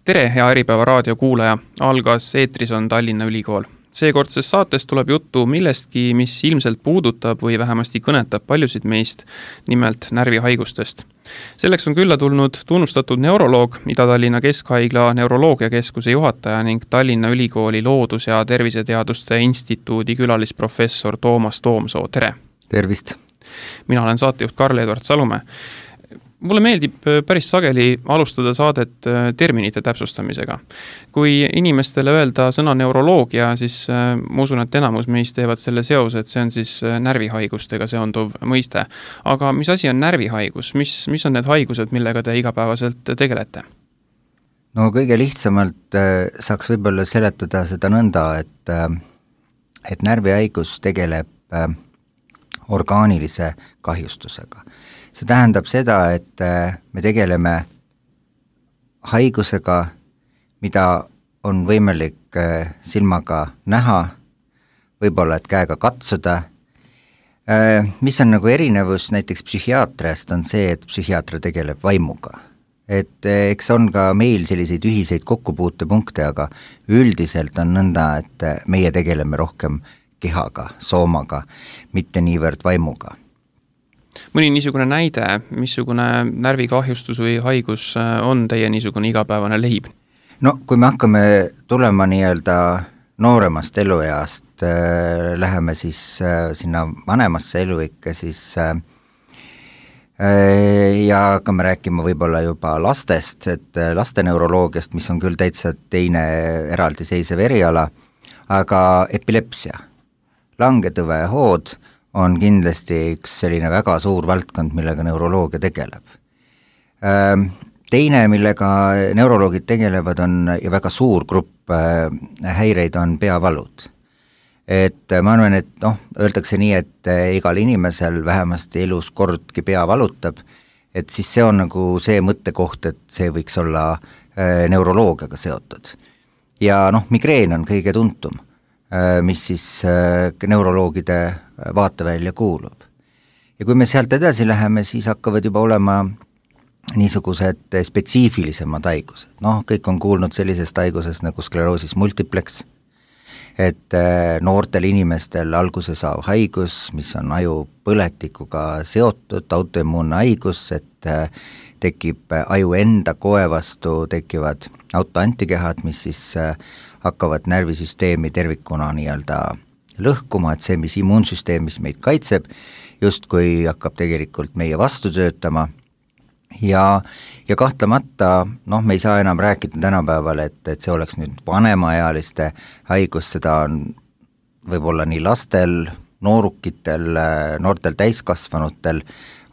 Tere, hea Äripäeva raadio kuulaja! Algas eetris on Tallinna Ülikool. Seekordses saates tuleb juttu millestki, mis ilmselt puudutab või vähemasti kõnetab paljusid meist, nimelt närvihaigustest. Selleks on külla tulnud tunnustatud neuroloog, Ida-Tallinna Keskhaigla neuroloogiakeskuse juhataja ning Tallinna Ülikooli Loodus- ja Terviseteaduste Instituudi külalisprofessor Toomas Toomsoo. Tere! Tervist! Mina olen saatejuht Karl-Edvard Salumäe. Mulle meeldib päris sageli alustada saadet terminite täpsustamisega. Kui inimestele öelda sõna neuroloogia, siis ma usun, et enamus meist teevad selle seose, et see on siis närvihaigustega seonduv mõiste. Aga mis asi on närvihaigus? Mis on need haigused, millega te igapäevaselt tegelete? No kõige lihtsamalt saaks võib-olla seletada seda nõnda, et närvihaigus tegeleb orgaanilise kahjustusega. See tähendab seda, et me tegeleme haigusega, mida on võimalik silmaga näha, võib-olla et käega katsuda. Mis on nagu erinevus näiteks psühhiaatriast on see, et psühhiaatria tegeleb vaimuga. Et eks on ka meil selliseid ühiseid kokkupuutepunkte, aga üldiselt on nõnda, et meie tegeleme rohkem kehaga, soomaga, mitte niivõrd vaimuga. Mõni niisugune näide, missugune närvikahjustus või haigus on teie niisugune igapäevane lehib? No kui me hakkame tulema nii-öelda nooremast elueast, läheme siis sinna vanemasse eluikke, siis ja hakkame rääkima võib-olla juba lastest, et laste neuroloogiast, mis on küll täitsa teine eraldiseisev eriala, aga epilepsia, langetõvehood on kindlasti üks selline väga suur valdkond, millega neuroloogia tegeleb. Teine, millega neuroloogid tegelevad, on ja väga suur grupp häireid on peavalud. Et ma arvan, et öeldakse nii, et igal inimesel vähemasti elus kordki pea valutab, et siis see on nagu see mõttekoht, et see võiks olla neuroloogiaga seotud. Ja migreen on kõige tuntum, mis siis neuroloogide vaatevälja kuulub. Ja kui me sealt edasi läheme, siis hakkavad juba olema niisugused spetsiifilisemad haigused. Kõik on kuulnud sellisest haigusest nagu skleroosis multiplex, et noortel inimestel alguse saav haigus, mis on ajupõletikuga seotud, autoimmuunne haigus, et tekib aju enda koe vastu, tekivad autoantikehad, mis siis hakkavad närvisüsteemi tervikuna nii-öelda lõhkuma, et see, mis immuunsüsteemis meid kaitseb, justkui hakkab tegelikult meie vastu töötama ja kahtlemata, me ei saa enam rääkida tänapäeval, et see oleks nüüd vanemaealiste haigus, seda on võib-olla nii lastel, noorukitel, noortel täiskasvanutel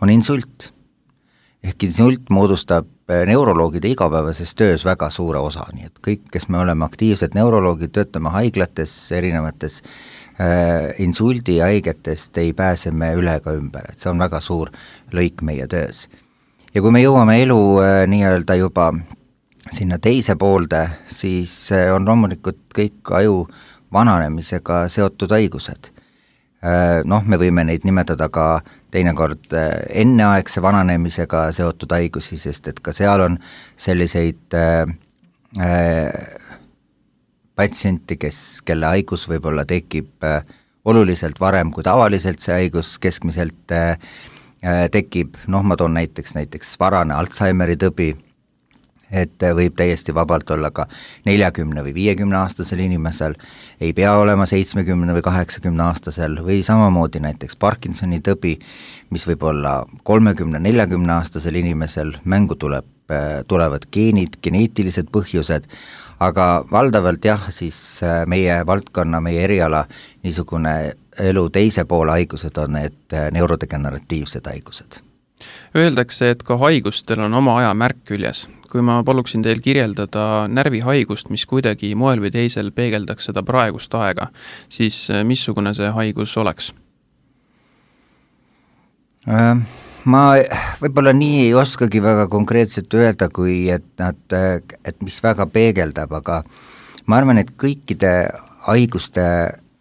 on insult. Ehk insult moodustab neuroloogide igapäevases töös väga suure osa, nii et kõik, kes me oleme aktiivsed neuroloogid, töötame haiglates, erinevates insuldi haigetest ei pääse me üle ega ümber, et see on väga suur lõik meie töös. Ja kui me jõuame elu nii-öelda juba sinna teise poolde, siis on loomulikult kõik aju vananemisega seotud haigused. Me võime neid nimetada ka teinekord enneaegse vananemisega seotud haigusi, sest et ka seal on selliseid patsienti, kelle haigus võib-olla tekib oluliselt varem kui tavaliselt see haigus keskmiselt tekib. Ma toon näiteks varane Alzheimeri tõbi, et võib täiesti vabalt olla ka 40 või 50 aastasel inimesel, ei pea olema 70 või 80 aastasel või samamoodi näiteks Parkinsoni tõbi, mis võib olla 30-40 aastasel inimesel, mängu tulevad geenid, geneetilised põhjused, aga valdavalt siis meie valdkonna, meie eriala niisugune elu teise poole haigused on need neurodegeneratiivsed haigused. Öeldakse, et ka haigustel on oma aja märk küljes. Kui ma paluksin teil kirjeldada närvihaigust, mis kuidagi moel või teisel peegeldaks seda praegust aega, siis missugune see haigus oleks? Ma võib-olla nii ei oskagi väga konkreetselt öelda, kui et mis väga peegeldab, aga ma arvan, et kõikide haiguste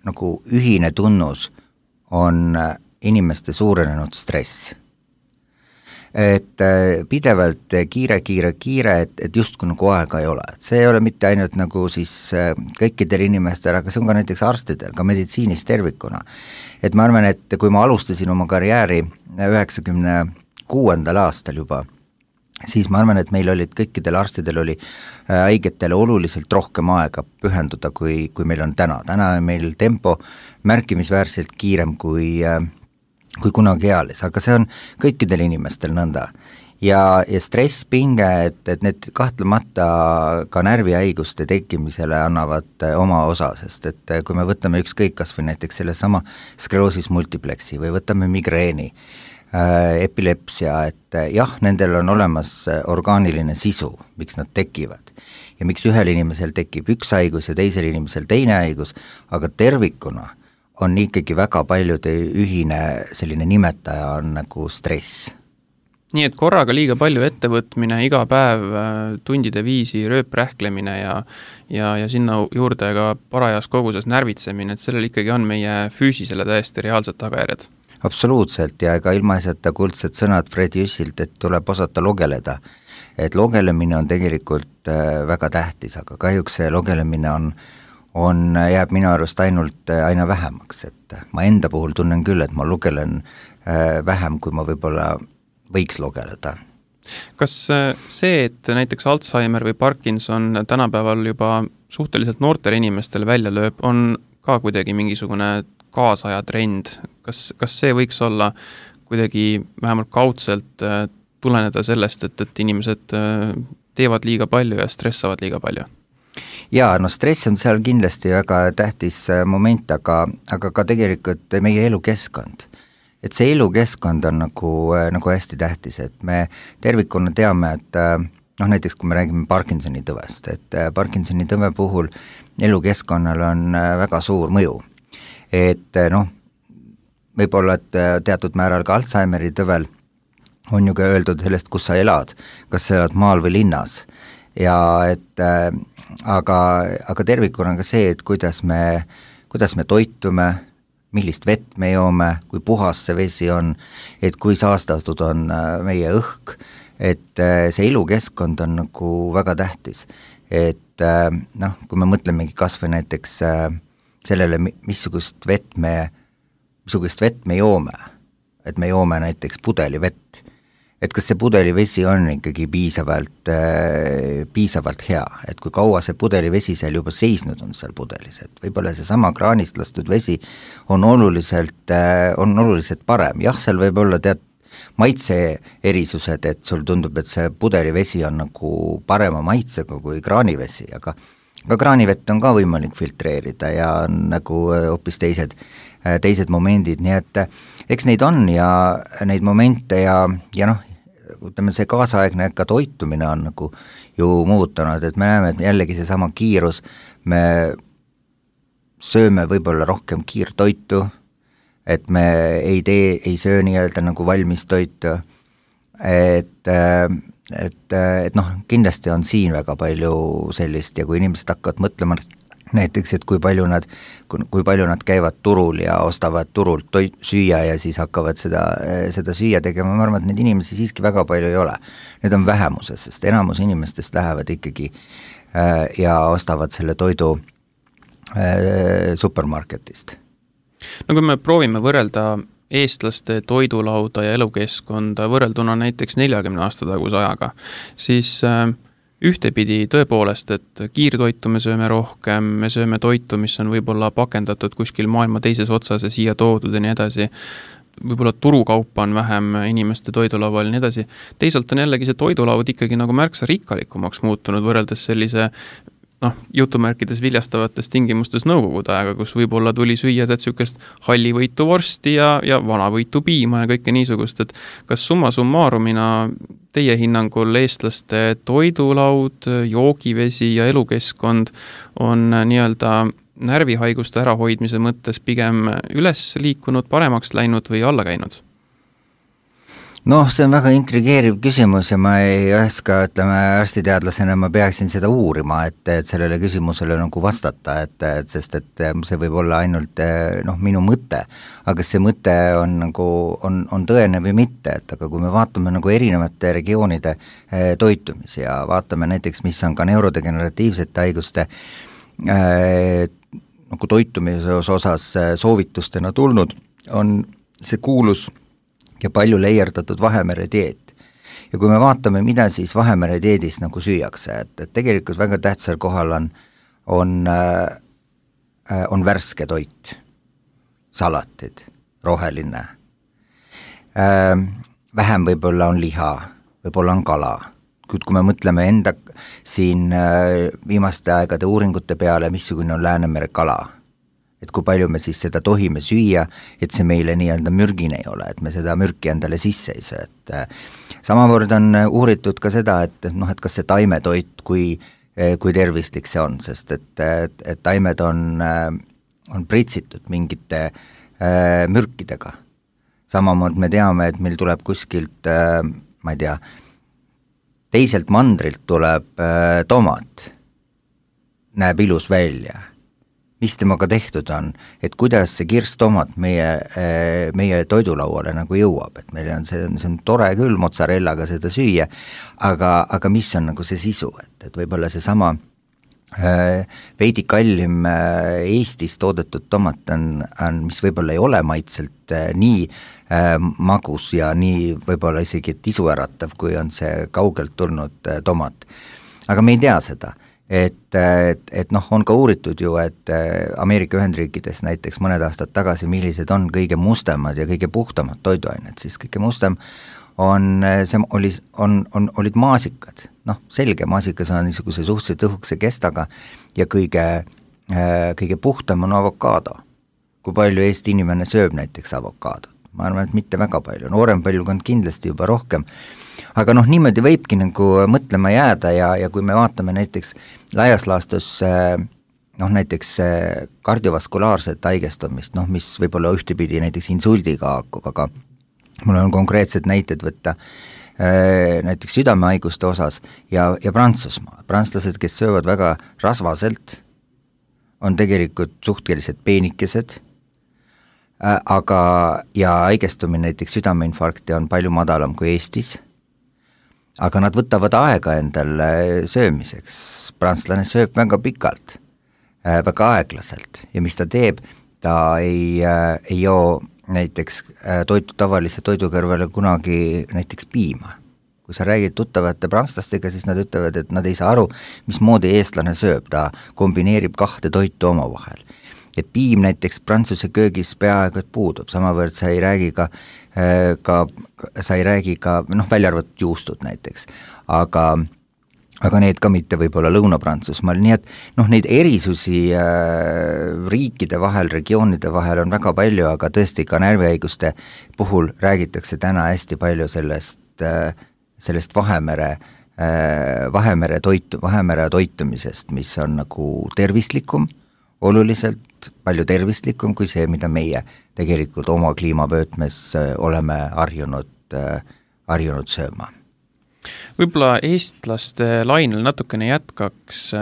nagu ühine tunnus on inimeste suurenenud stress. et pidevalt kiire, et justkui nagu aega ei ole, et see ei ole mitte ainult nagu siis kõikidel inimestel, aga see on ka näiteks arstidel, ka meditsiinis tervikuna. Et ma arvan, et kui ma alustasin oma karjääri 96. aastal juba, siis ma arvan, et meil olid kõikidel arstidel oli haigetele oluliselt rohkem aega pühenduda, kui meil on täna. Täna on meil tempo märkimisväärselt kiirem kui kunagi eales, aga see on kõikidel inimestel nõnda. Ja stress, pinge, et need kahtlemata ka närvihaiguste tekkimisele annavad oma osa, sest et kui me võtame ükskõik kas või näiteks selle sama skleroosis multiplexi või võtame migreeni, epilepsia, et jah, nendel on olemas orgaaniline sisu, miks nad tekivad ja miks ühel inimesel tekib üks haigus ja teisel inimesel teine haigus, aga tervikuna on ikkagi väga paljude ühine selline nimetaja on nagu stress. Nii et korraga liiga palju ettevõtmine, iga päev tundide viisi rööprähklemine ja sinna juurde ka parajas koguses närvitsemine, et sellel ikkagi on meie füüsisele täiesti reaalsed tagajärjed. Absoluutselt, ja ega ilmaasjata kuldsed sõnad Fred Jüssilt, et tuleb osata logeleda. Et logelemine on tegelikult väga tähtis, aga kahjuks see logelemine jääb minu arust ainult aina vähemaks, et ma enda puhul tunnen küll, et ma lugelen vähem, kui ma võib-olla võiks logeleda. Kas see, et näiteks Alzheimer või Parkinson tänapäeval juba suhteliselt noortele inimestele välja lööb, on ka kuidagi mingisugune kaasaja trend? Kas see võiks olla kuidagi vähemalt kaudselt tuleneda sellest, et inimesed teevad liiga palju ja stressavad liiga palju? Jaa, no stress on seal kindlasti väga tähtis moment, aga ka tegelikult meie elukeskkond. Et see elukeskkond on nagu hästi tähtis, et me tervikuna teame, et näiteks kui me räägime Parkinsoni tõvest, et Parkinsoni tõve puhul elukeskkonnal on väga suur mõju. Et võib-olla, et teatud määral ka Alzheimeri tõvel on ju ka öeldud sellest, kus sa elad, kas sa elad maal või linnas. Ja et aga tervikuna on ka see, et kuidas me toitume, millist vett me joome, kui puhas see vesi on, et kui saastatud on meie õhk, et see elukeskkond on nagu väga tähtis. Et kui me mõtlemegi kas või näiteks sellele, missugust vett me joome, et me joome näiteks pudelivett, et kas see pudelivesi on ikkagi piisavalt hea, et kui kaua see pudelivesi seal juba seisnud on seal pudelis, et võib-olla see sama kraanist lastud vesi on oluliselt parem, jah, seal võib olla maitse erisused, et sul tundub, et see pudelivesi on nagu parema maitsega kui kraanivesi, aga kraanivett on ka võimalik filtreerida ja on nagu hoopis teised momendid, nii et eks neid on ja neid momente ja ütleme, see kaasaegne ka toitumine on nagu ju muutunud, et me näeme, et jällegi see sama kiirus, me sööme võib-olla rohkem kiirtoitu, et me ei söö nii-öelda nagu valmis toitu, et kindlasti on siin väga palju sellist ja kui inimesed hakkavad mõtlema näiteks, et kui palju nad käivad turul ja ostavad turult süüa ja siis hakkavad seda süüa tegema, ma arvan, et neid inimesi siiski väga palju ei ole. Need on vähemuses, sest enamus inimestest lähevad ikkagi ja ostavad selle toidu supermarketist. No kui me proovime võrrelda eestlaste toidulauda ja elukeskkonda võrrelduna näiteks 40 aasta taguse ajaga, siis ühtepidi tõepoolest, et kiirtoitu me sööme rohkem, me sööme toitu, mis on võib-olla pakendatud kuskil maailma teises otsas ja siia toodud ja nii edasi, võib-olla turukaupa on vähem inimeste toidulaual ja nii edasi. Teisalt on jällegi see toidulaud ikkagi nagu märksa rikkalikumaks muutunud võrreldes sellise jutumärkides viljastavatest tingimustes nõukogude ajaga, kus võib-olla tuli süüa tsükest hallivõitu vorsti ja vanavõitu piima ja kõike niisugust, et kas summa summarumina teie hinnangul eestlaste toidulaud, joogivesi ja elukeskkond on nii-öelda närvihaiguste ärahoidmise mõttes pigem üles liikunud, paremaks läinud või alla käinud? Noh, see on väga intrigeeriv küsimus ja ma ei oska, ütleme, arstiteadlasena ma peaksin seda uurima, et sellele küsimusele nagu vastata, sest et see võib olla ainult minu mõte, aga see mõte on nagu, on tõene või mitte, et aga kui me vaatame nagu erinevate regioonide toitumisi ja vaatame näiteks, mis on ka neurodegeneratiivsete haiguste nagu toitumise osas soovitustena tulnud, on see kuulus ja palju leierdatud Vahemere dieet. Ja kui me vaatame, mida siis Vahemere dieedis nagu süüakse, et tegelikult väga tähtsal kohal on värske toit, salatid, roheline. Vähem võib-olla on liha, võib-olla on kala. Kui me mõtleme enda siin viimaste aegade uuringute peale, missugune on Läänemere kala, et kui palju me siis seda tohime süüa, et see meile nii-öelda mürgine ei ole, et me seda mürki endale sisse ei saa, et samavõrd on uuritud ka seda, et kas see taimetoit, kui tervislik see on, sest et taimed on pritsitud mingite mürkidega. Samamoodi me teame, et meil tuleb kuskilt, ma ei tea, teiselt mandrilt tuleb tomat, näeb ilus välja. Mis temaga tehtud on, et kuidas see kirstomat meie toidulauale nagu jõuab, et meil on see on tore küll mozzarellaga seda süüa, aga mis on nagu see sisu, et võib-olla see sama veidi kallim Eestis toodetud tomat on, mis võib-olla ei ole maitselt nii magus ja nii võib-olla isegi tissuäratav, kui on see kaugelt tulnud tomat. Aga me ei tea seda. Et on ka uuritud ju, et Ameerika Ühendriikides näiteks mõned aastad tagasi, millised on kõige mustemad ja kõige puhtamad toiduained, siis kõige mustem olid maasikad. Selge, maasikas on niisuguse suhteliselt õhukese kestaga ja kõige puhtam on avokaado. Kui palju Eesti inimene sööb näiteks avokaadot? Ma arvan, et mitte väga palju, noorem põlvkond kindlasti juba rohkem, aga niimoodi võibki nagu mõtlema jääda ja kui me vaatame näiteks laias laastus näiteks kardiovaskulaarset haigestumist, mis võib olla ühtepidi näiteks insuldiga haakub, aga mul on konkreetsed näited võtta näiteks südamehaiguste osas ja Prantsusmaa. Prantslased, kes söövad väga rasvaselt, on tegelikult suhteliselt peenikesed, aga ja haigestumine näiteks südameinfarkti on palju madalam kui Eestis, aga nad võtavad aega endal söömiseks. Prantslane sööb väga pikalt, väga aeglaselt ja mis ta teeb, ta ei joo näiteks tavalise toidu kõrvale kunagi näiteks piima. Kui sa räägid tuttavate prantslastega, siis nad ütlevad, et nad ei saa aru, mismoodi eestlane sööb, ta kombineerib kahte toitu omavahel. Et piim näiteks prantsuse köögis peaaegu et puudub, samavõrd sa ei räägi ka välja arvatud juustud näiteks, aga need ka mitte võib-olla Lõuna-Prantsusmaal, nii et neid erisusi riikide vahel, regioonide vahel on väga palju, aga tõesti ka närvihaiguste puhul räägitakse täna hästi palju sellest Vahemere toitumisest, mis on nagu tervislikum, oluliselt palju tervislikum kui see, mida meie tegelikult oma kliimavöötmes oleme harjunud sööma. Võib-olla eestlaste lainel natukene jätkaks,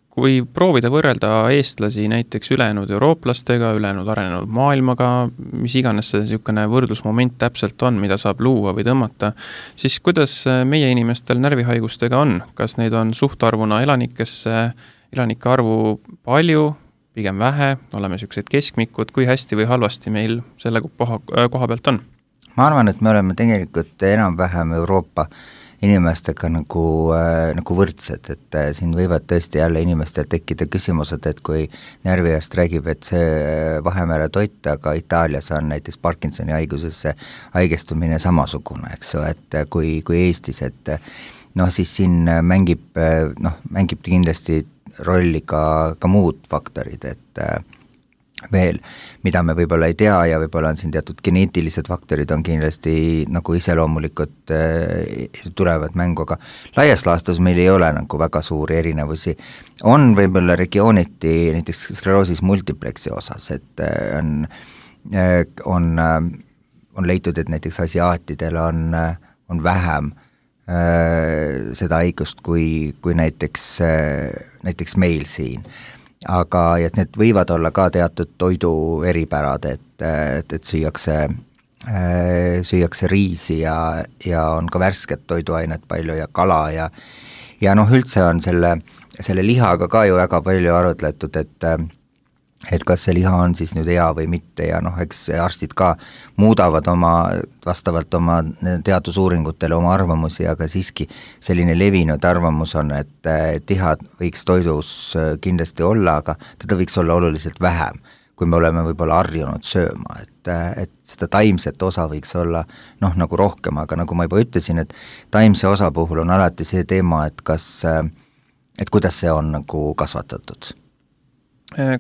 kui proovida võrrelda eestlasi näiteks ülejäänud eurooplastega, ülejäänud arenenud maailmaga, mis iganes see niisugune võrdlusmoment täpselt on, mida saab luua või tõmmata, siis kuidas meie inimestel närvihaigustega on? Kas neid on suhtarvuna elanike arvu palju, pigem vähe, oleme niisugused keskmikud, kui hästi või halvasti meil selle koha pealt on? Ma arvan, et me oleme tegelikult enam-vähem Euroopa inimestega nagu võrdsed, et siin võivad tõesti jälle inimestel tekkida küsimused, et kui närvijast räägib, et see Vahemere toit, aga Itaalias on näiteks Parkinsoni haigusesse haigestumine samasugune, eks ju, et kui Eestis, et siis siin mängib kindlasti rolli ka muud faktorid, et veel, mida me võib-olla ei tea ja võib-olla on siin teatud geneetilised faktorid on kindlasti nagu iseloomulikud tulevad mängu, aga laias laastus meil ei ole nagu väga suuri erinevusi. On võib-olla regiooniti näiteks skleroosis multiplexi osas, et on on leitud, et näiteks asiaatidel on vähem seda haigust kui näiteks meil siin. Aga et need võivad olla ka teatud toidu eripärad, et süüakse riisi ja on ka värsket toiduainet palju ja kala ja üldse on selle lihaga ka ju väga palju arutletud, et kas see liha on siis nüüd hea või mitte ja eks arstid ka muudavad vastavalt oma teadusuuringutele oma arvamusi, aga siiski selline levinud arvamus on, et liha võiks toidus kindlasti olla, aga teda võiks olla oluliselt vähem, kui me oleme võib-olla harjunud sööma, et seda taimset osa võiks olla nagu rohkem, aga nagu ma juba ütlesin, et taimse osa puhul on alati see teema, et kuidas see on nagu kasvatatud.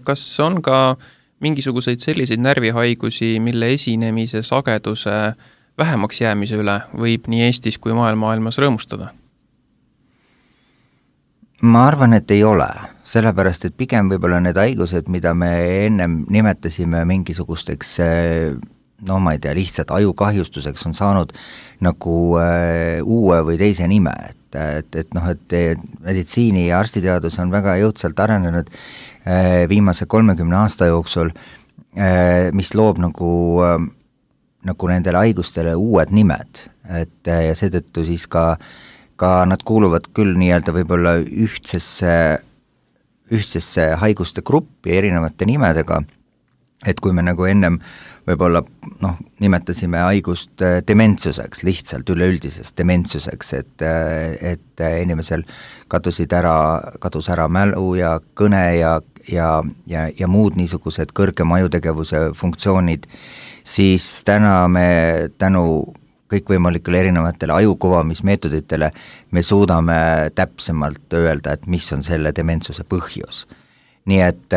Kas on ka mingisuguseid selliseid närvihaigusi, mille esinemise sageduse vähemaks jäämise üle võib nii Eestis kui maailmas rõõmustada? Ma arvan, et ei ole, sellepärast, et pigem võib-olla need haigused, mida me ennem nimetasime mingisugusteks, ma ei tea, lihtsalt ajukahjustuseks on saanud nagu uue või teise nime, et meditsiini ja arstiteadus on väga jõudsalt arenenud viimase 30 aasta jooksul, mis loob nagu nendele haigustele uued nimed, ja seetõttu siis ka nad kuuluvad küll nii-öelda võib-olla ühtsesse haiguste gruppi erinevate nimedega, et kui me nagu ennem võib-olla nimetasime haigust dementsuseks, lihtsalt üleüldisest dementsuseks, et inimesel kadus ära mälu ja kõne ja muud niisugused kõrgema ajutegevuse funktsioonid, siis täna me tänu kõikvõimalikele erinevatele ajukuvamismeetoditele me suudame täpsemalt öelda, et mis on selle dementsuse põhjus. Nii et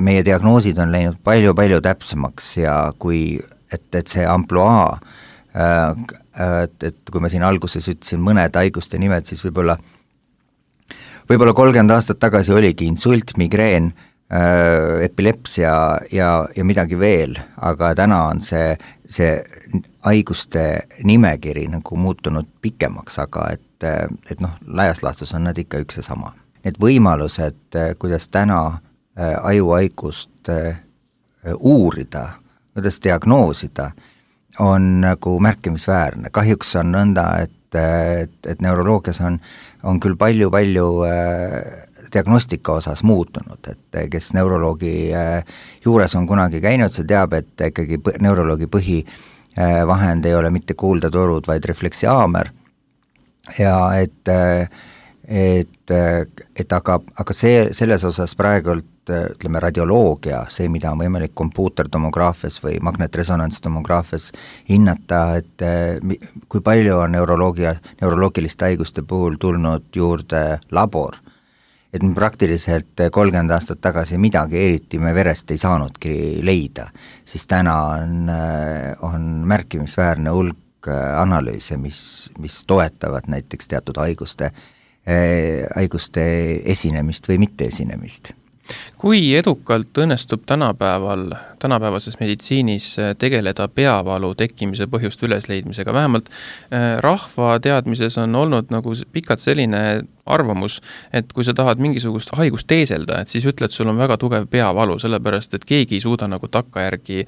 meie diagnoosid on läinud palju-palju täpsemaks ja et see ampluaa, et kui ma siin alguses ütlesin mõned haiguste nimed, siis võib-olla 30 aastat tagasi oligi insult, migreen, epilepsia ja midagi veel, aga täna on see haiguste nimekiri nagu muutunud pikemaks, aga et laias laastus on nad ikka üks ja sama. Need võimalused, kuidas täna ajuhaigust uurida, kuidas diagnoosida, on nagu märkimisväärne. Kahjuks on nõnda, et neuroloogias on küll palju diagnostika osas muutunud, et kes neuroloogi juures on kunagi käinud, see teab, et ikkagi neuroloogi põhivahend ei ole mitte kuuldetorud, vaid refleksihaamer ja aga selles osas praegult ütleme radioloogia, see, mida on võimalik kompuutertomograafias või magnetresonantstomograafis hinnata, et kui palju on neuroloogiliste haiguste puhul tulnud juurde labor, et me praktiliselt 30 aastat tagasi midagi eriti me verest ei saanudki leida, siis täna on märkimisväärne hulk analüüse, mis toetavad näiteks teatud haiguste esinemist või mitte esinemist. Kui edukalt õnnestub tänapäevases meditsiinis tegeleda peavalu tekkimise põhjuste ülesleidmisega? Vähemalt rahva teadmises on olnud nagu pikalt selline arvamus, et kui sa tahad mingisugust haigust teeselda, et siis ütled, sul on väga tugev peavalu, sellepärast et keegi ei suuda nagu takkajärgi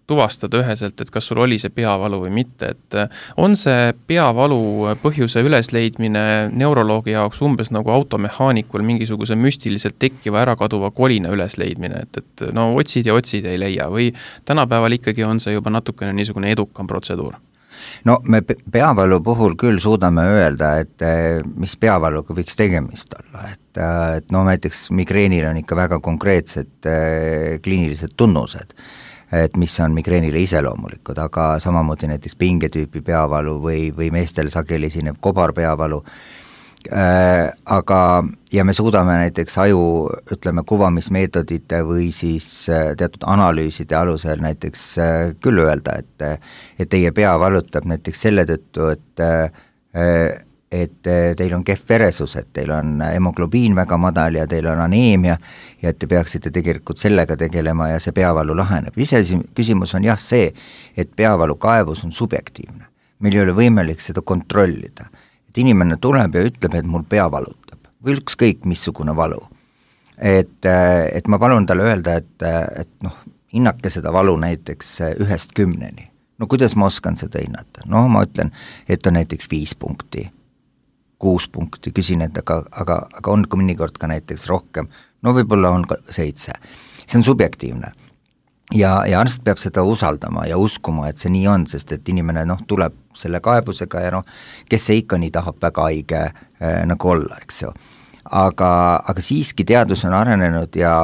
tuvastada üheselt, et kas sul oli see peavalu või mitte, et on see peavalu põhjuse ülesleidmine neuroloogi jaoks umbes nagu automehaanikul mingisuguse müstiliselt tekkiva ärakaduva kolina ülesleidmine, et no otsid ja otsid ei leia või tänapäeval ikkagi on see juba natukene niisugune edukam protseduur? No me peavalu puhul küll suudame öelda, et mis peavaluga võiks tegemist olla, et näiteks migreenil on ikka väga konkreetsed kliinilised tunnused, et mis on migreenile iseloomulikud, aga samamoodi näiteks pingetüüpi peavalu või meestel sageli esinev kobarpeavalu, ja me suudame näiteks ütleme, kuvamismeetodite või siis teatud analüüside alusel näiteks küll öelda, et teie pea valutab näiteks selle tõttu, et teil on kehv veresus, et teil on hemoglobiin väga madal ja teil on aneemia ja et te peaksite tegelikult sellega tegelema ja see peavalu laheneb. Küsimus on jah see, et peavalu kaebus on subjektiivne. Meil ei ole võimalik seda kontrollida. Et inimene tuleb ja ütleb, et mul pea valutab või ükskõik missugune valu. Et ma palun talle öelda, et noh, hinnake seda valu näiteks 1-10. No kuidas ma oskan seda hinnata? No ma ütlen, et on näiteks 5 punkti. 6 punkti, küsin, et aga on mõnikord ka näiteks rohkem, no võib-olla on 7. See on subjektiivne. Ja arst peab seda usaldama ja uskuma, et see nii on, sest et inimene tuleb selle kaebusega ja kes see ikka nii tahab väga haige nagu olla, eks ju. Aga siiski teadus on arenenud ja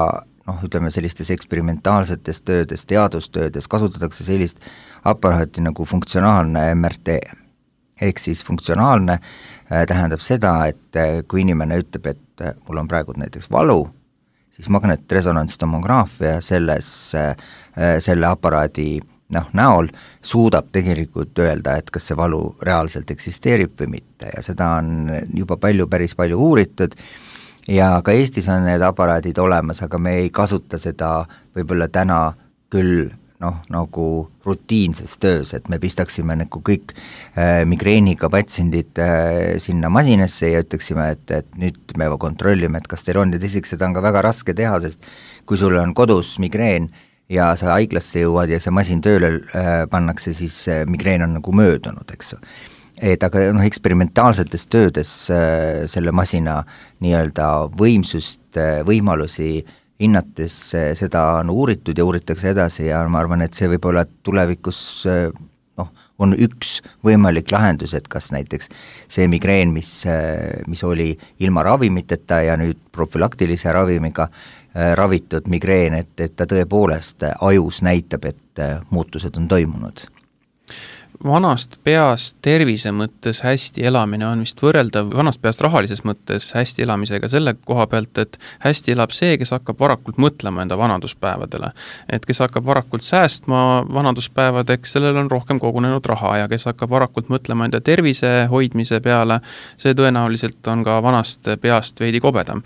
ütleme sellistes eksperimentaalsetes töödes, teadustöödes kasutatakse sellist aparaati nagu funktsionaalne MRT. Ehk siis funktsionaalne tähendab seda, et kui inimene ütleb, et mul on praegu näiteks valu, siis magnetresonantstomograafia selle aparaadi näol suudab tegelikult öelda, et kas see valu reaalselt eksisteerib või mitte ja seda on juba päris palju uuritud ja ka Eestis on need aparaadid olemas, aga me ei kasuta seda võib-olla täna küll nagu rutiinses töös, et me pistaksime nagu kõik migreeniga patsiendid sinna masinasse ja ütleksime, et nüüd me kontrollime, et kas teil on ja teiseks seda on ka väga raske teha, sest kui sul on kodus migreen ja sa haiglasse jõuad ja see masin tööle pannakse, siis migreen on nagu möödunud, eks ju. Et aga eksperimentaalsetes töödes selle masina nii-öelda võimsust, võimalusi hinnates seda on uuritud ja uuritakse edasi ja ma arvan, et see võib olla tulevikus on üks võimalik lahendus, et kas näiteks see migreen, mis oli ilma ravimiteta ja nüüd profülaktilise ravimiga ravitud migreen, et ta tõepoolest ajus näitab, et muutused on toimunud. Vanast peast tervise mõttes hästi elamine on vist võrreldav vanast peast rahalises mõttes hästi elamisega selle koha pealt, et hästi elab see, kes hakkab varakult mõtlema enda vanaduspäevadele. Et kes hakkab varakult säästma vanaduspäevadeks, sellel on rohkem kogunenud raha ja kes hakkab varakult mõtlema enda tervise hoidmise peale, see tõenäoliselt on ka vanast peast veidi kobedam.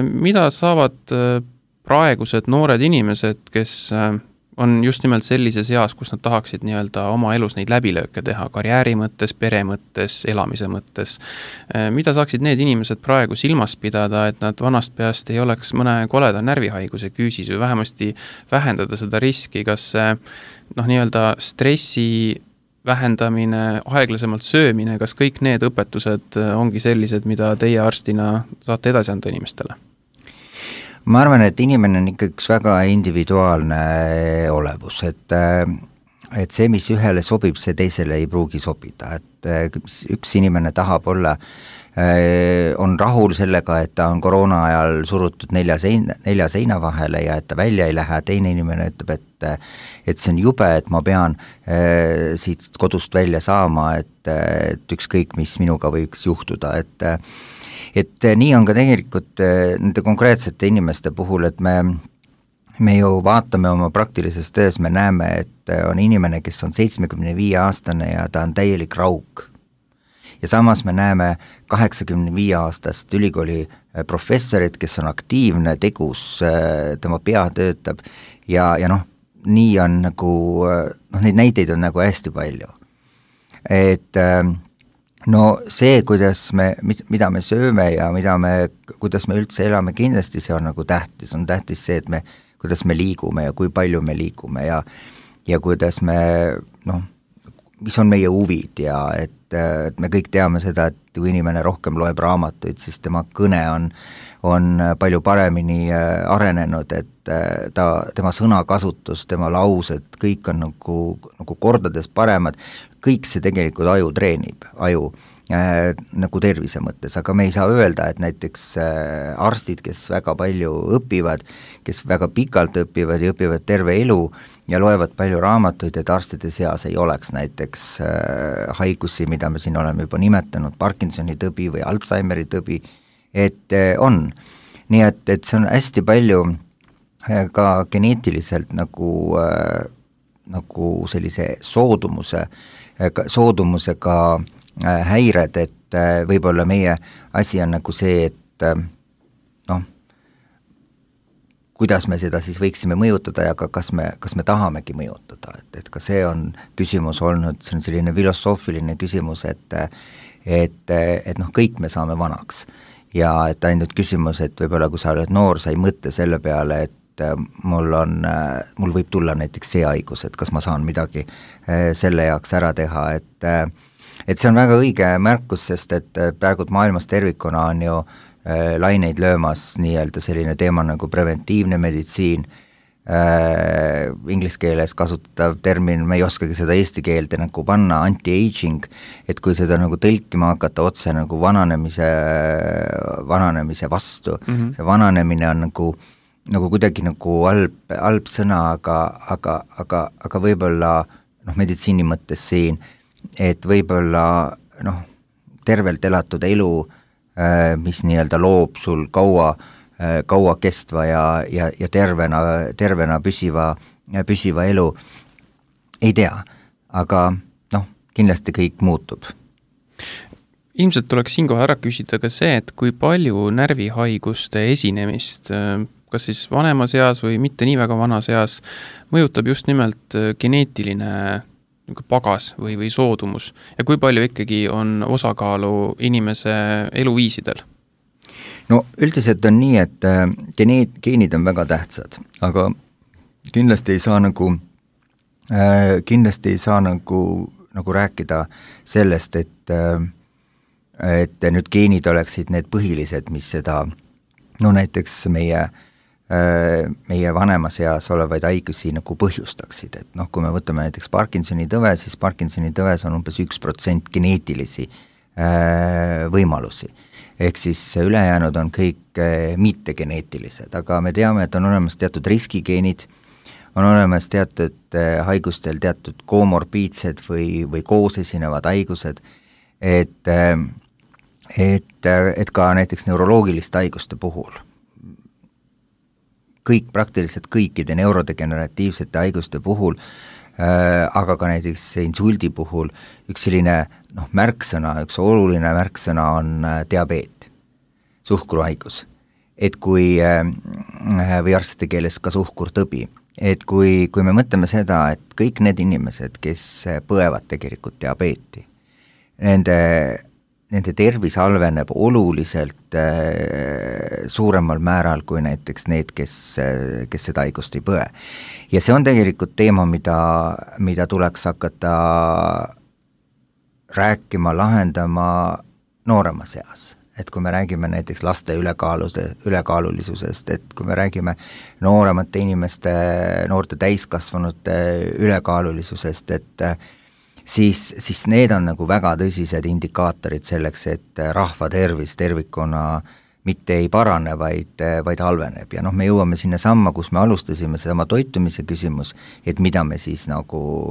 Mida saavad praegused noored inimesed, kes on just nimelt sellises eas, kus nad tahaksid nii-öelda oma elus neid läbilööke teha, karjääri mõttes, pere mõttes, elamise mõttes. Mida saaksid need inimesed praegu silmas pidada, et nad vanast peast ei oleks mõne koleda närvihaiguse küüsis või vähemasti vähendada seda riski, kas see nii-öelda stressi vähendamine, aeglasemalt söömine, kas kõik need õpetused ongi sellised, mida teie arstina saate edasi anda inimestele? Ma arvan, et inimene on ikka üks väga individuaalne olevus, et see, mis ühele sobib, see teisele ei pruugi sobida, et üks inimene tahab olla, on rahul sellega, et ta on koroona ajal surutud 4 seina vahele ja et ta välja ei lähe, teine inimene ütleb, et see on jube, et ma pean siit kodust välja saama, et ükskõik, mis minuga võiks juhtuda, et nii on ka tegelikult nende konkreetsete inimeste puhul, et me ju vaatame oma praktilises töös, me näeme, et on inimene, kes on 75-aastane ja ta on täielik rauk. Ja samas me näeme 85-aastast ülikooli professorit, kes on aktiivne, tegus, tema pea töötab ja nii on nagu, neid näiteid on nagu hästi palju. Et see, mida me sööme ja kuidas me üldse elame, kindlasti see on nagu tähtis. On tähtis see, et kuidas me liigume ja kui palju me liigume ja kuidas me, mis on meie huvid ja et me kõik teame seda, et kui inimene rohkem loeb raamatuid, siis tema kõne on palju paremini arenenud, et tema sõnakasutus, tema laused, kõik on nagu kordades paremad, kõik see tegelikult aju treenib, nagu tervise mõttes, aga me ei saa öelda, et näiteks arstid, kes väga palju õpivad, kes väga pikalt õpivad ja õpivad terve elu ja loevad palju raamatuid, et arstide seas ei oleks näiteks haigusi, mida me siin oleme juba nimetanud, Parkinsoni tõbi või Alzheimeri tõbi, et on. Nii et see on hästi palju ka geneetiliselt nagu sellise soodumusega häired, et võib-olla meie asi on nagu see, et noh, kuidas me seda siis võiksime mõjutada ja ka kas me tahamegi mõjutada, et ka see on küsimus olnud, see on selline filosoofiline küsimus, et noh, kõik me saame vanaks ja et ainult küsimus, et võib-olla kui sa oled noor, sa ei mõtle selle peale, et mul võib tulla näiteks see haigus, et kas ma saan midagi selle jaoks ära teha, et see on väga õige märkus, sest et praegu maailmas tervikuna on ju laineid löömas nii-öelda selline teema nagu preventiivne meditsiin, inglise keeles kasutatav termin, me ei oskagi seda eesti keelde nagu panna, anti-aging, et kui seda nagu tõlkima hakata otse nagu vananemise vastu, see vananemine on nagu kuidagi nagu halb sõna, aga võib-olla noh, meditsiini mõttes siin, et võib-olla noh, tervelt elatud elu, mis nii-öelda loob sul kaua kestva ja tervena püsiva elu, ei tea, aga noh, kindlasti kõik muutub. Ilmselt tuleks siinkohal ära küsida ka see, et kui palju närvihaiguste esinemist, kas siis vanemas eas või mitte nii väga vanas eas, mõjutab just nimelt geneetiline pagas või soodumus ja kui palju ikkagi on osakaalu inimese eluviisidel? No üldiselt on nii, et geenid on väga tähtsad, aga kindlasti ei saa nagu rääkida sellest, et nüüd geenid oleksid need põhilised, mis seda, no näiteks meie vanemas eas olevaid haigusi nagu põhjustaksid, et noh, kui me võtame näiteks Parkinsoni tõve, siis Parkinsoni tõves on umbes 1% geneetilisi võimalusi. Ehk siis ülejäänud on kõik mittegeneetilised, aga me teame, et on olemas teatud riskigeenid, on olemas teatud haigustel teatud komorbiidsed või koos esinevad haigused, et ka näiteks neuroloogiliste haiguste puhul, praktiliselt kõikide neurodegeneratiivsete haiguste puhul, aga ka näiteks insuldi puhul üks selline märksõna, üks oluline märksõna on diabeet, suhkruhaigus. Et kui, või arstide keeles ka suhkurtõbi, et kui me mõtleme seda, et kõik need inimesed, kes põevad tegelikult diabeeti, nende tervis halveneb oluliselt suuremal määral kui näiteks need, kes seda haigust ei põe. Ja see on tegelikult teema, mida tuleks hakata rääkima, lahendama nooremas eas. Et kui me räägime näiteks laste ülekaalulisusest, et kui me räägime nooremate inimeste, noorte täiskasvanute ülekaalulisusest, et siis need on nagu väga tõsised indikaatorid selleks, et rahva tervis tervikuna mitte ei parane, vaid halveneb. Ja noh, me jõuame sinna samma, kus me alustasime, sama toitumise küsimus, et mida me siis nagu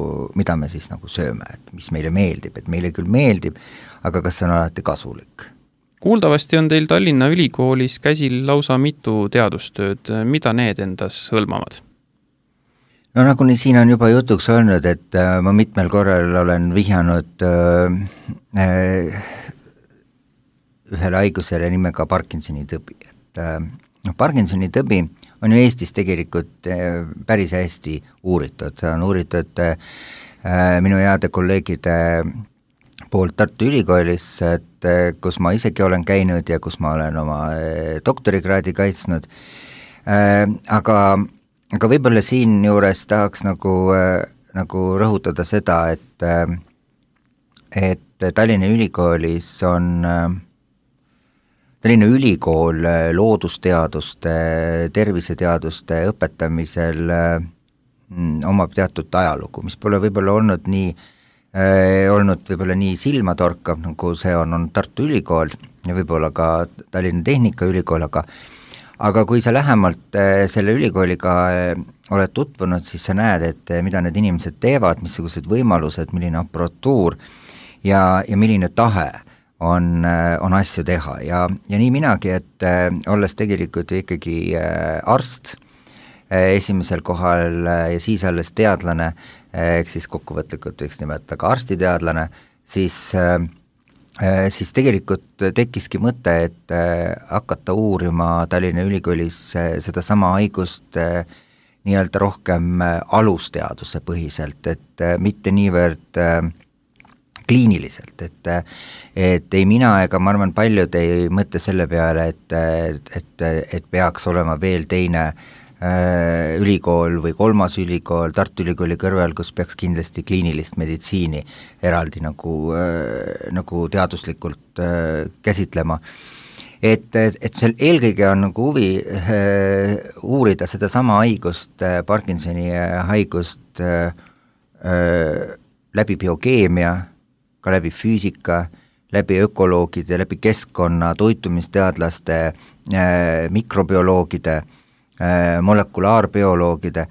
sööme, et mis meile meeldib, et meile küll meeldib, aga kas see on alati kasulik? Kuuldavasti on teil Tallinna Ülikoolis käsil lausa mitu teadustööd, mida need endas hõlmavad? No nagu siin on juba jutuks olnud, et ma mitmel korral olen vihjanud ühele haigusele nimega Parkinsoni tõbi. Et Parkinsoni tõbi on ju Eestis tegelikult päris hästi uuritud, on uuritud minu heade kolleegide poolt Tartu Ülikoolis, et kus ma isegi olen käinud ja kus ma olen oma doktorikraadi kaitsnud, aga võib-olla siin juures tahaks nagu rõhutada seda, et Tallinna Ülikoolis on Tallinna Ülikool loodusteaduste, terviseteaduste õpetamisel omab teatud ajalugu, mis pole võib-olla olnud nii silmatorkav, nagu see on Tartu Ülikool ja võib-olla ka Tallinna Tehnikaülikool, aga kui sa lähemalt selle ülikooliga oled tutvunud, siis sa näed, et mida need inimesed teevad, missugused võimalused, milline aparatuur ja milline tahe on asju teha ja nii minagi, et olles tegelikult ikkagi arst esimesel kohal ja siis alles teadlane, ehk siis kokkuvõtlikult võiks nimetada ka arstiteadlane, siis siis tegelikult tekkiski mõte, et hakata uurima Tallinna Ülikoolis seda sama haigust nii-öelda rohkem alusteaduse põhiselt, et mitte niivõrd kliiniliselt, et ei mina ega ma arvan, paljud ei mõtle selle peale, et peaks olema veel teine ülikool või kolmas ülikool Tartu Ülikooli kõrval, kus peaks kindlasti kliinilist meditsiini eraldi nagu teaduslikult käsitlema. Et seal eelkõige on nagu huvi uurida seda sama haigust, Parkinsoni haigust läbi biokeemia, ka läbi füüsika, läbi ökoloogide, läbi keskkonna, toitumisteadlaste, mikrobioloogide, molekulaarbioloogide,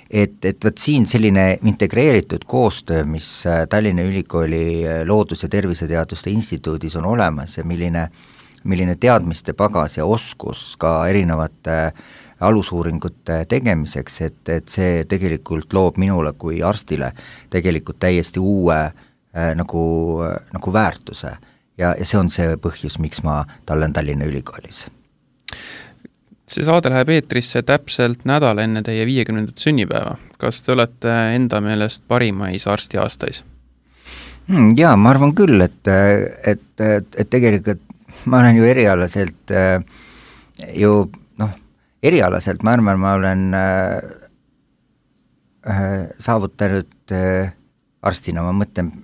et võt siin selline integreeritud koostöö, mis Tallinna Ülikooli Loodus- ja Terviseteaduste Instituudis on olemas ja milline teadmiste pagas ja oskus ka erinevate alusuuringute tegemiseks, et see tegelikult loob minule kui arstile tegelikult täiesti uue nagu väärtuse ja see on see põhjus, miks ma tallen Tallinna Ülikoolis. See saade läheb eetrisse täpselt nädal enne teie 50. sünnipäeva. Kas te olete enda meelest parimais arstiaastais? Jaa, ma arvan küll, et tegelikult ma olen ju erialaselt erialaselt ma arvan, ma olen saavutanud arstina, ma mõtlen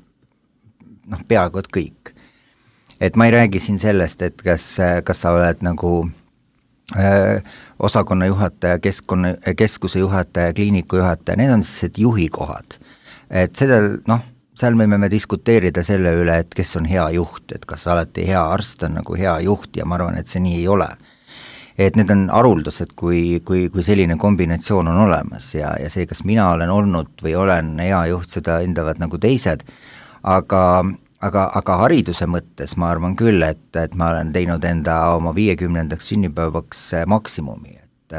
peaaegu et kõik. Et ma ei räägi siin sellest, et kas sa oled nagu osakonna juhataja, keskuse juhataja, kliiniku juhataja, need on sellised juhikohad. Et seda, seal me diskuteerida selle üle, et kes on hea juht, et kas alati hea arst on nagu hea juht ja ma arvan, et see nii ei ole. Et need on haruldused, kui selline kombinatsioon on olemas ja see, kas mina olen olnud või olen hea juht, seda hindavad nagu teised, aga hariduse mõttes ma arvan küll, et ma olen teinud enda oma 50. sünnipäevaks maksimumi, et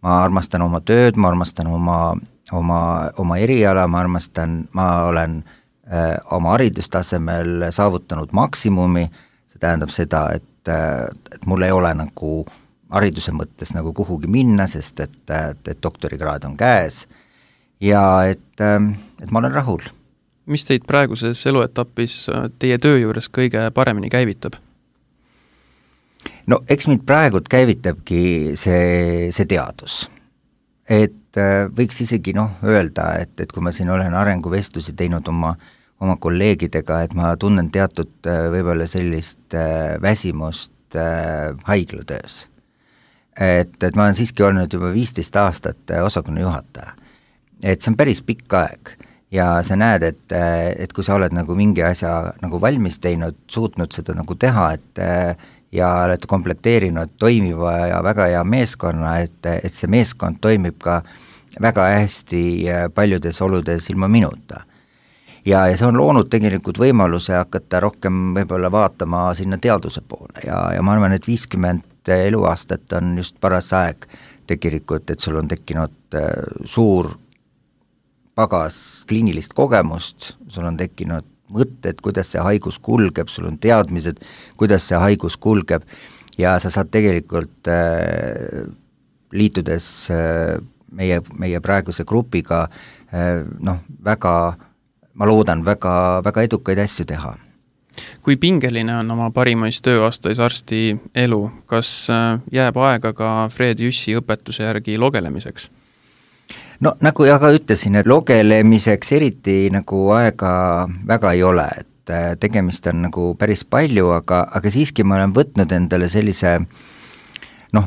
ma armastan oma tööd, ma armastan oma eriala, ma olen oma haridustasemel saavutanud maksimumi, see tähendab seda, et mul ei ole nagu hariduse mõttes nagu kuhugi minna, sest et doktorikraad on käes ja et ma olen rahul. Mis teid praeguses eluetapis teie töö juures kõige paremini käivitab? No eks mind praegult käivitabki see teadus. Et võiks isegi öelda, et kui ma siin olen arenguvestlusi teinud oma kolleegidega, et ma tunnen teatud võib-olla sellist väsimust haiglatöös. Et ma olen siiski olnud juba 15 aastat osakonna juhataja. Et see on päris pikk aeg. Ja sa näed, et kui sa oled nagu mingi asja nagu valmis teinud, suutnud seda nagu teha, ja oled komplekteerinud toimiva ja väga hea meeskonna, et see meeskond toimib ka väga hästi paljudes oludes ilma minuta. Ja see on loonud tegelikult võimaluse hakata rohkem võib-olla vaatama sinna teaduse poole ja ma arvan, et 50 eluaastat on just paras aeg tegelikult, et sul on tekkinud suur pagas kliinilist kogemust, sul on tekkinud mõtted, kuidas see haigus kulgeb, sul on teadmised, kuidas see haigus kulgeb ja sa saad tegelikult liitudes meie praeguse grupiga väga, ma loodan, väga edukaid asju teha. Kui pingeline on oma parimais tööaastais arsti elu, kas jääb aega ka Fred Jüssi õpetuse järgi logelemiseks? No nagu ka ütlesin, et logelemiseks eriti nagu aega väga ei ole, et tegemist on nagu päris palju, aga siiski ma olen võtnud endale sellise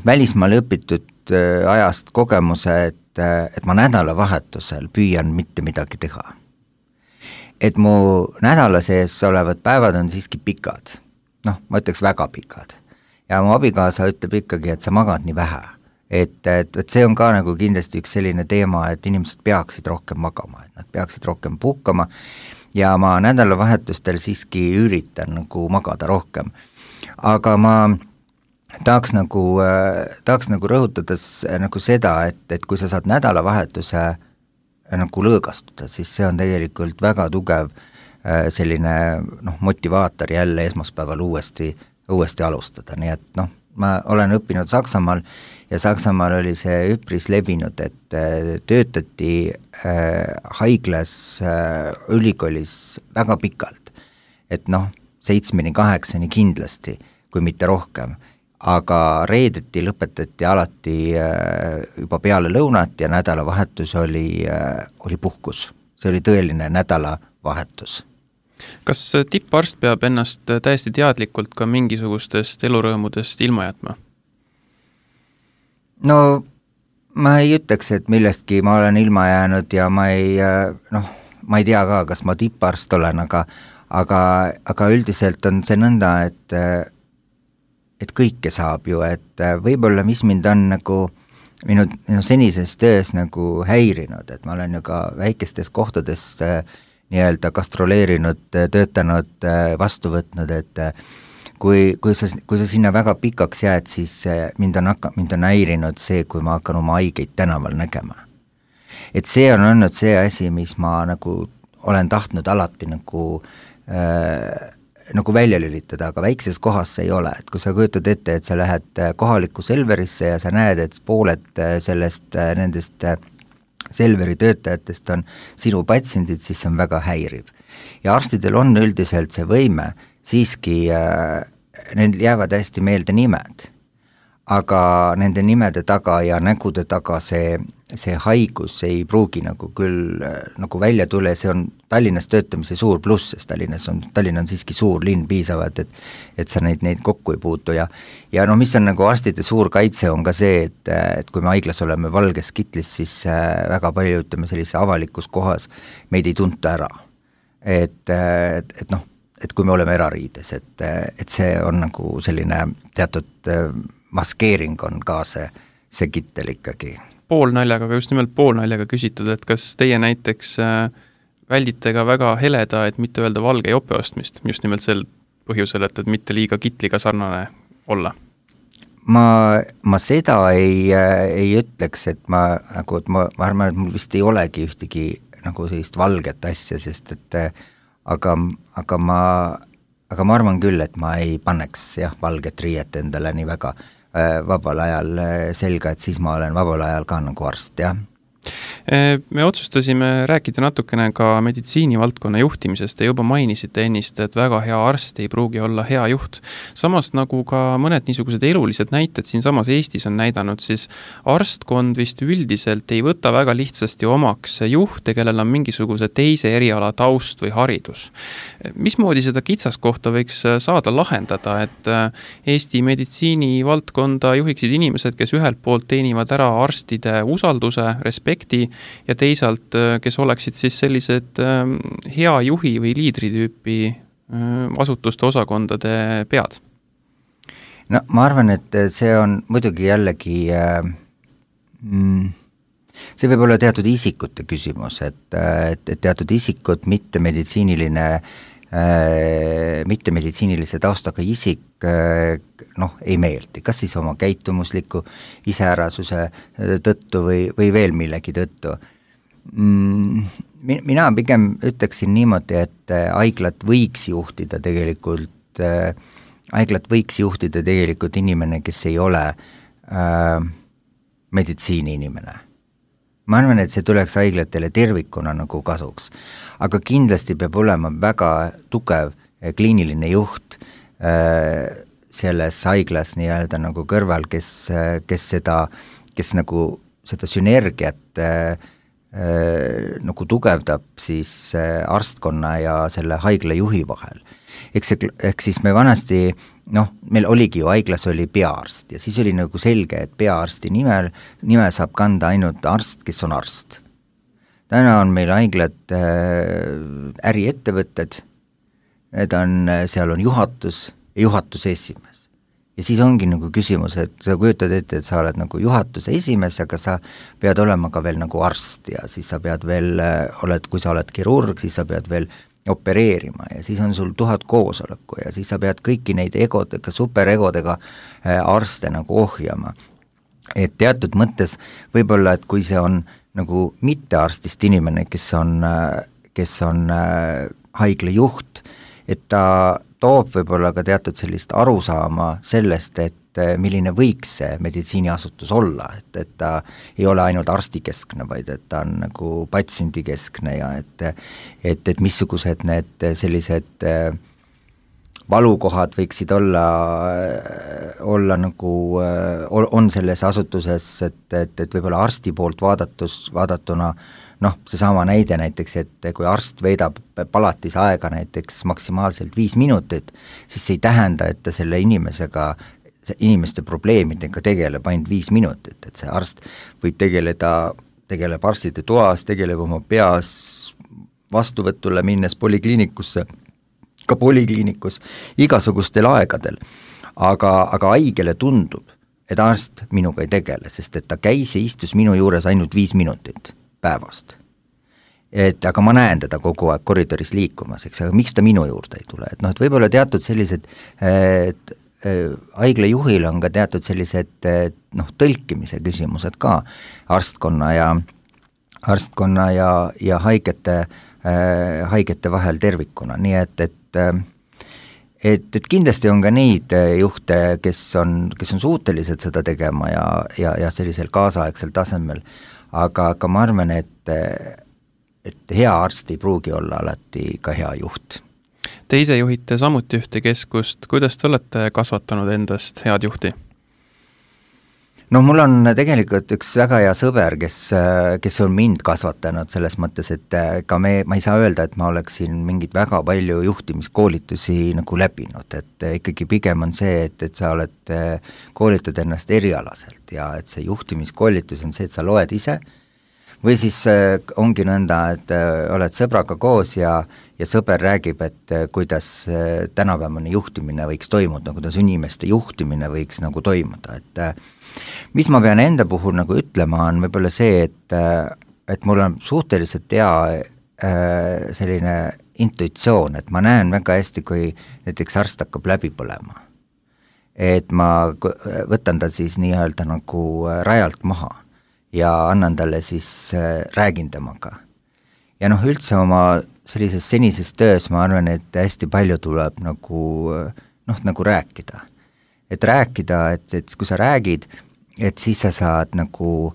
välismaal õpitud ajast kogemuse, et ma nädalavahetusel püüan mitte midagi teha. Et mu nädala sees olevad päevad on siiski pikad, ma ütleks väga pikad ja mu abikaasa ütleb ikkagi, et sa magad nii vähe. Et see on ka nagu kindlasti üks selline teema, et inimesed peaksid rohkem magama, et nad peaksid rohkem puhkama ja ma nädalavahetustel siiski üritan nagu magada rohkem. Aga ma tahaks nagu rõhutades nagu seda, et kui sa saad nädalavahetuse nagu lõõgastuda, siis see on tegelikult väga tugev selline motivaator jälle esmaspäeval uuesti alustada, nii et ma olen õppinud Saksamaal ja Saksamaal oli see üpris levinud, et töötati haiglas, ülikoolis väga pikalt, et 7-8 kindlasti, kui mitte rohkem, aga reedeti lõpetati alati juba peale lõunat ja nädalavahetus oli puhkus, see oli tõeline nädalavahetus. Kas tipparst peab ennast täiesti teadlikult ka mingisugustest elurõõmudest ilma jätma? No ma ei ütleks, et millestki ma olen ilma jäänud ja ma ei tea ka, kas ma tipparst olen, aga üldiselt on see nõnda, et kõike saab ju, et võib-olla mis mind on nagu minu senises töös nagu häirinud, et ma olen ju ka väikestes kohtades nii-öelda gastroleerinud, töötanud, vastu võtnud, et kui sa sinna väga pikaks jääd, siis mind on häirinud see, kui ma hakkan oma haigeid tänaval nägema. Et see on olnud see asi, mis ma nagu olen tahtnud alati nagu välja lülitada, aga väikses kohas see ei ole, et kui sa kujutad ette, et sa lähed kohalikku Selverisse ja sa näed, et pooled nendest Selveri töötajatest on sinu patsiendid, siis see on väga häiriv. Ja arstidel on üldiselt see võime, siiski neil jäävad hästi meelde nimed, aga nende nimede taga ja nägude taga see haigus ei pruugi nagu küll nagu välja tule, see on Tallinnas töötamise suur pluss, sest Tallinn on siiski suur linn piisavalt, et sa neid kokku ei puutu ja mis on nagu arstide suur kaitse on ka see, et kui me haiglas oleme valges kitlis, siis väga palju, ütleme sellise avalikus kohas meid ei tunta ära. Et kui me oleme erariides, et see on nagu selline teatud maskeering on ka see kittel ikkagi. Poolnaljaga, aga just nimelt poolnaljaga küsitud, et kas teie näiteks väldite ka väga heleda, et mitte öelda valge jope ostmist, just nimelt sel põhjusel, et mitte liiga kitliga sarnane olla? Ma seda ei ütleks, et ma arvan, et mul vist ei olegi ühtegi nagu sellist valget asja, sest et aga ma arvan küll, et ma ei paneks valget riiet endale nii väga vabal ajal selga, et siis ma olen vabal ajal ka nagu arst, jah. Me otsustasime rääkida natukene ka meditsiinivaldkonna juhtimisest ja juba mainisite ennist, et väga hea arst ei pruugi olla hea juht. Samas nagu ka mõned niisugused elulised näited siin samas Eestis on näidanud, siis arstkond vist üldiselt ei võta väga lihtsasti omaks juhte, kellel on mingisuguse teise eriala taust või haridus. Mismoodi seda kitsaskohta võiks saada lahendada, et Eesti meditsiinivaldkonda juhiksid inimesed, kes ühelt poolt teenivad ära arstide usalduse, respekti ja teisalt, kes oleksid siis sellised hea juhi või liidritüüpi asutuste osakondade pead? No ma arvan, et see on muidugi jällegi, see võib olla teatud isikute küsimus, et teatud isikud, mitte meditsiinilise taustaga isik ei meeldi, kas siis oma käitumusliku iseärasuse tõttu või veel millegi tõttu. Mina pigem ütleksin niimoodi, et haiglat võiks juhtida tegelikult inimene, kes ei ole meditsiini inimene. Ma arvan, et see tuleks haiglatele tervikuna nagu kasuks, aga kindlasti peab olema väga tugev kliiniline juht selles haiglas nii-öelda nagu kõrval, kes nagu seda sünergiat nagu tugevdab siis arstkonna ja selle haigla juhi vahel. Ehk siis me vanasti, meil oligi ju haiglas oli peaarst ja siis oli nagu selge, et peaarsti nime saab kanda ainult arst, kes on arst. Täna on meil haiglad äriettevõtted, seal on juhatus ja juhatuse esimees. Ja siis ongi nagu küsimus, et sa kujutad ette, et sa oled nagu juhatuse esimees, aga sa pead olema ka veel nagu arst ja siis sa pead veel, kui sa oled kirurg, siis sa pead veel opereerima ja siis on sul 1000 koosoleku ja siis sa pead kõiki neid superegodega arste nagu ohjama. Et teatud mõttes võib-olla, et kui see on nagu mitte arstist inimene, kes on haigla juht, et ta toob võib-olla ka teatud sellist arusaama sellest, et milline võiks see meditsiiniasutus olla, et ta ei ole ainult arstikeskne, vaid et ta on nagu patsiendikeskne ja et missugused need sellised valukohad võiksid olla nagu, on selles asutuses, et võib-olla arsti poolt vaadatuna noh, seesama näide näiteks, et kui arst veedab palatis aega näiteks maksimaalselt 5 minutit, siis see ei tähenda, et ta selle inimeste probleemidega tegeleb ainult 5 minutit, et see arst võib tegeleb arstide toas, tegeleb oma peas vastuvõtule minnes polikliinikusse, ka polikliinikus igasugustel aegadel, aga haigele tundub, et arst minuga ei tegele, sest et ta käis ja istus minu juures ainult 5 minutit päevast. Aga ma näen teda kogu aeg koridoris liikumas, eks, aga miks ta minu juurde ei tule, et noh, et võib-olla teatud sellised haigla juhil on ka teatud sellised noh, tõlkimise küsimused ka arstkonna ja haigete vahel tervikuna, nii et kindlasti on ka neid juhte, kes on suutelised seda tegema ja sellisel kaasaegsel tasemel, aga ma arvan, et hea arst ei pruugi olla alati ka hea juht. Te ise juhite samuti ühte keskust, kuidas te olete kasvatanud endast head juhti? No mul on tegelikult üks väga hea sõber, kes on mind kasvatanud selles mõttes, et ka ma ei saa öelda, et ma oleksin mingit väga palju juhtimiskoolitusi nagu läbinud, et ikkagi pigem on see, et sa oled koolitad ennast erialaselt ja et see juhtimiskoolitus on see, et sa loed ise või siis ongi nõnda, et oled sõbraga koos ja sõber räägib, et kuidas tänapäevane juhtimine võiks toimuda, kuidas inimeste juhtimine võiks nagu toimuda, et mis ma pean enda puhul nagu ütlema, on võib-olla see, et mul on suhteliselt hea selline intuitsioon, et ma näen väga hästi, kui näiteks arst hakkab läbi põlema. Et ma võtan ta siis nii-öelda nagu rajalt maha ja annan talle siis, räägin temaga. Ja noh, üldse oma sellises senises töös ma arvan, et hästi palju tuleb nagu rääkida. Et rääkida, et kui sa räägid, et siis sa saad nagu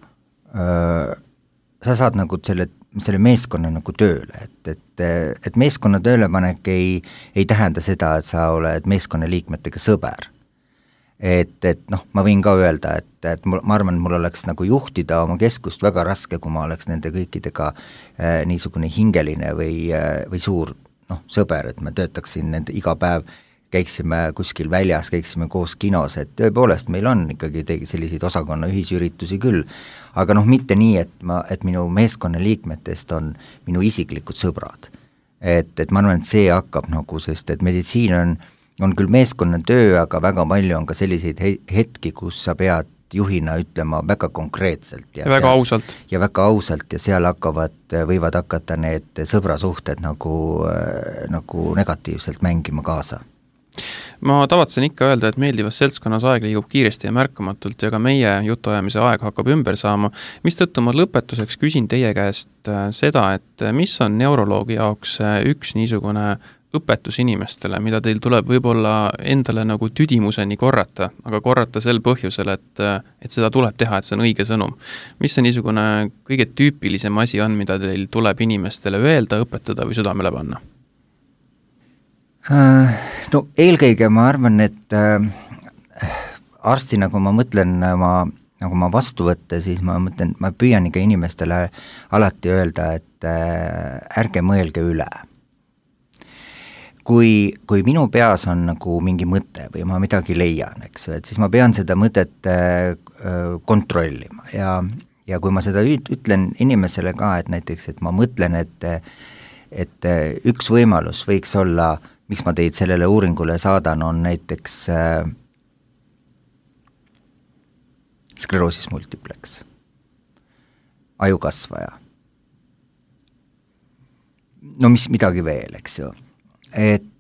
selle meeskonna nagu tööle, et meeskonna töölepanek ei tähenda seda, et sa oled meeskonna liikmetega sõber. Et noh, ma võin ka öelda, et ma arvan, mul oleks nagu juhtida oma keskust väga raske, kui ma oleks nende kõikidega niisugune hingeline või suur sõber, et ma töötaksin nende iga päev, käiksime kuskil väljas, käiksime koos kinos, et tõepoolest meil on ikkagi selliseid osakonna ühisüritusi küll, aga noh, mitte nii, et minu meeskonna liikmetest on minu isiklikud sõbrad. Et ma arvan, et see hakkab nagu, sest et meditsiin on küll meeskonna töö, aga väga palju on ka selliseid hetki, kus sa pead juhina ütlema väga konkreetselt. Ja väga ausalt. Ja väga ausalt ja seal võivad hakata need sõbrasuhted nagu negatiivselt mängima kaasa. Ma tavatsen ikka öelda, et meeldivas seltskonnas aeg liigub kiiresti ja märkamatult ja ka meie jutuajamise aeg hakkab ümber saama, mistõttu ma lõpetuseks küsin teie käest seda, et mis on neuroloogi jaoks üks niisugune õpetus inimestele, mida teil tuleb võib-olla endale nagu tüdimuseni korrata, aga korrata sel põhjusel, et seda tuleb teha, et see on õige sõnum. Mis see niisugune kõige tüüpilisem asi on, mida teil tuleb inimestele öelda, õpetada või südamele panna? No eelkõige ma arvan, et arstina, kui ma mõtlen nagu ma vastu võtta, siis ma püüan ikka inimestele alati öelda, et ärge mõelge üle. Kui minu peas on nagu mingi mõte või ma midagi leian, eks, et siis ma pean seda mõtet kontrollima ja kui ma seda ütlen inimesele ka, et näiteks, et ma mõtlen, et üks võimalus võiks olla, miks ma teid sellele uuringule saadan, on näiteks skleroosis multiplex, ajukasvaja. No midagi veel, eks ju. Et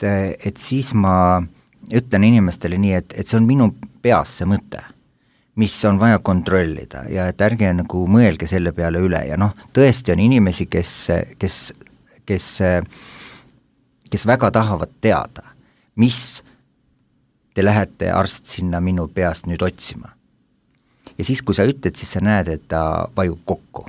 siis ma ütlen inimestele nii, et see on minu peas see mõte, mis on vaja kontrollida ja et ärge nagu mõelge selle peale üle ja noh, tõesti on inimesi, kes kes väga tahavad teada, mis te lähete arst sinna minu peast nüüd otsima. Ja siis, kui sa ütled, siis sa näed, et ta vajub kokku.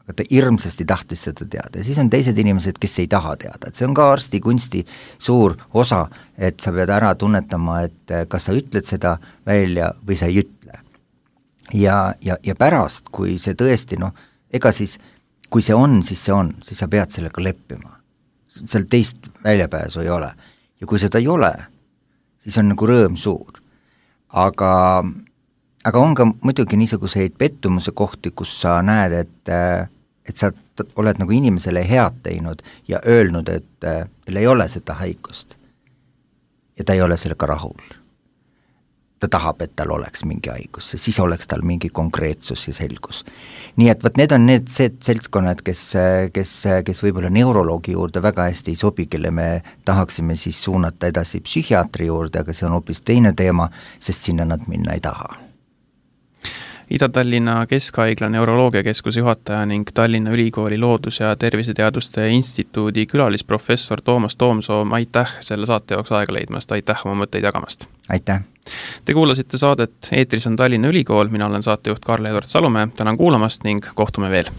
Aga ta hirmsasti tahtis seda teada. Ja siis on teised inimesed, kes ei taha teada. Et see on ka arsti kunsti suur osa, et sa pead ära tunnetama, et kas sa ütled seda välja või sa ei ütle. Ja pärast, kui see tõesti, ega siis, kui see on, siis sa pead sellega leppima. Seal teist väljapääsu ei ole. Ja kui seda ei ole, siis on nagu rõõm suur. Aga on ka muidugi niisuguseid pettumuse kohti, kus sa näed, et sa oled nagu inimesele head teinud ja öelnud, et tal ei ole seda haigust. Ja ta ei ole sellega rahul. Ta tahab, et tal oleks mingi haigus, siis oleks tal mingi konkreetsus ja selgus. Nii et need on need seltskonnad, kes võib-olla neuroloogi juurde väga hästi ei sobi, kelle me tahaksime siis suunata edasi psühhiaatri juurde, aga see on hoopis teine teema, sest sinna nad minna ei taha. Ida-Tallinna Keskhaigla neuroloogiakeskuse juhataja ning Tallinna Ülikooli Loodus- ja Terviseteaduste Instituudi külalisprofessor Toomas Toomsoo, aitäh selle saate jaoks aega leidmast, aitäh oma mõtteid jagamast. Aitäh! Te kuulasite saadet, eetris on Tallinna Ülikool, mina olen saatejuht Karl-Edward Salumäe, tänan kuulamast ning kohtume veel!